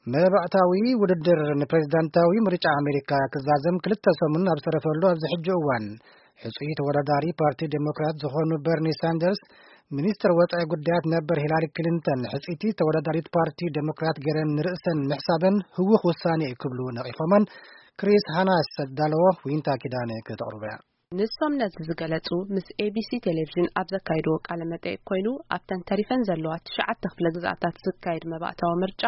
መባእታዊ ውድድር ንፕሬዝዳንታዊ ምርጫ ኣሜሪካ ክዛዘም ክልተ ሰሙን ኣብ ዝተረፈሉ ኣብዚ ሕጂ እዋን፣ ሕጹይ ተወዳዳሪ ፓርቲ ዴሞክራት ዝኾኑ በርኒ ሳንደርስ፣ ሚኒስትር ወጻኢ ጉዳያት ነበር ሂላሪ ክሊንተን ሕጽይቲ ተወዳዳሪት ፓርቲ ዴሞክራት ገይረን ንርእሰን ምሕሳበን ህውኽ ውሳኔ እዩ ክብሉ ነቒፎመን። ክሪስ ሃናስ ዘዳለዎ ዊንታ ኪዳነ ከተቕርቦ እያ። ንሶም ነዚ ዝገለጹ ምስ ኤቢሲ ቴሌቪዥን ኣብ ዘካየድዎ ቃለ መጠይቅ ኮይኑ፣ ኣብተን ተሪፈን ዘለዋ ትሽዓተ ክፍለ ግዝኣታት ዝካየድ መባእታዊ ምርጫ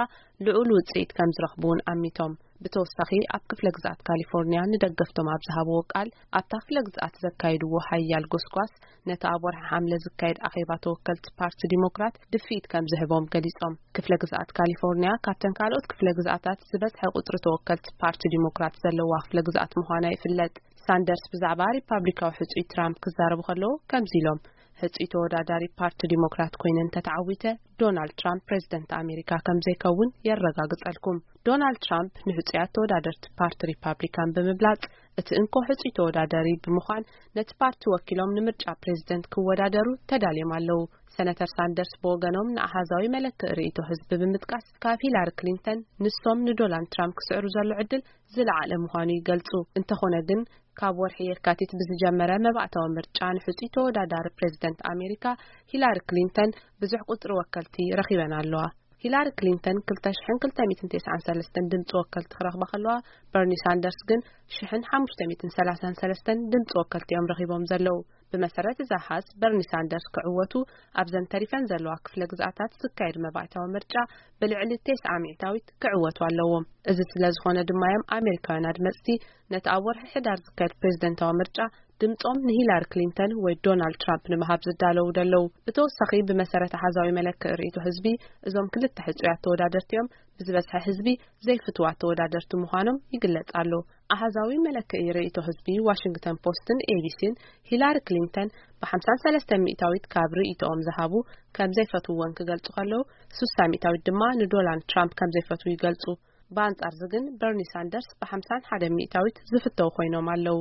ልዑል ውጽኢት ከም ዝረኽቡ እውን ኣሚቶም። ብተወሳኺ ኣብ ክፍለ ግዝኣት ካሊፎርኒያ ንደገፍቶም ኣብ ዝሃብዎ ቃል፣ ኣብታ ክፍለ ግዝኣት ዘካየድዎ ሓያል ጎስጓስ ነቲ ኣብ ወርሒ ሓምለ ዝካየድ ኣኼባ ተወከልቲ ፓርቲ ዲሞክራት ድፍኢት ከም ዝህቦም ገሊጾም። ክፍለ ግዝኣት ካሊፎርኒያ ካብተን ካልኦት ክፍለ ግዝኣታት ዝበዝሐ ቁጽሪ ተወከልቲ ፓርቲ ዲሞክራት ዘለዋ ክፍለ ግዝኣት ምዃና ይፍለጥ። ሳንደርስ ብዛዕባ ሪፓብሊካዊ ሕጹይ ትራምፕ ክዛረቡ ከለዉ ከምዚ ኢሎም፣ ሕጹይ ተወዳዳሪ ፓርቲ ዲሞክራት ኮይነ እንተተዓዊተ፣ ዶናልድ ትራምፕ ፕሬዝደንት ኣሜሪካ ከም ዘይከውን የረጋግጸልኩም። ዶናልድ ትራምፕ ንሕጹያት ተወዳደርቲ ፓርቲ ሪፓብሊካን ብምብላጽ፣ እቲ እንኮ ሕጹይ ተወዳዳሪ ብምዃን ነቲ ፓርቲ ወኪሎም ንምርጫ ፕሬዝደንት ክወዳደሩ ተዳልዮም ኣለዉ። ሰነተር ሳንደርስ ብወገኖም ንኣሃዛዊ መለክዒ ርእይቶ ህዝቢ ብምጥቃስ፣ ካብ ሂላሪ ክሊንተን ንሶም ንዶናልድ ትራምፕ ክስዕሩ ዘሎ ዕድል ዝለዓለ ምዃኑ ይገልጹ። እንተኾነ ግን፣ ካብ ወርሒ የካቲት ብዝጀመረ መባእታዊ ምርጫ ንሕጹይ ተወዳዳሪ ፕሬዝደንት ኣሜሪካ ሂላሪ ክሊንተን ብዙሕ ቁጽሪ ወከልቲ ረኺበን ኣለዋ። ሂላሪ ክሊንተን ክልተ ሽሕን ክልተ ሚእትን ተስዓን ሰለስተን ድምጺ ወከልቲ ክረኽባ ከለዋ፣ በርኒ ሳንደርስ ግን ሽሕን ሓሙሽተ ሚእትን ሰላሳን ሰለስተን ድምጺ ወከልቲ እዮም ረኺቦም ዘለዉ። ብመሰረት እዚ ኣሃዝ፣ በርኒ ሳንደርስ ክዕወቱ ኣብዘን ተሪፈን ዘለዋ ክፍለ ግዝኣታት ዝካየድ መባእታዊ ምርጫ ብልዕሊ ተስዓ ሚእታዊት ክዕወቱ ኣለዎም። እዚ ስለ ዝኾነ ድማ እዮም ኣሜሪካውያን ኣድመጽቲ ነቲ ኣብ ወርሒ ሕዳር ዝካየድ ፕሬዝደንታዊ ምርጫ ድምጾም ንሂላሪ ክሊንተን ወይ ዶናልድ ትራምፕ ንምሃብ ዝዳለዉ ደለዉ። ብተወሳኺ፣ ብመሰረት ኣሃዛዊ መለክዒ ርእይቶ ህዝቢ፣ እዞም ክልተ ሕጹያት ተወዳደርቲ እዮም ብዝበዝሐ ህዝቢ ዘይፍትዋት ተወዳደርቲ ምዃኖም ይግለጽ ኣሎ። ኣሃዛዊ መለክዒ ርእይቶ ህዝቢ ዋሽንግተን ፖስትን ኤቢሲን፣ ሂላሪ ክሊንተን ብሓምሳን ሰለስተን ሚእታዊት ካብ ርእይቶኦም ዝሃቡ ከም ዘይፈትውወን ክገልጹ ከለዉ፣ ስሳ ሚእታዊት ድማ ንዶናልድ ትራምፕ ከም ዘይፈትዉ ይገልጹ። ብኣንጻር እዚ ግን፣ በርኒ ሳንደርስ ብሓምሳን ሓደን ሚእታዊት ዝፍተው ኮይኖም ኣለዉ።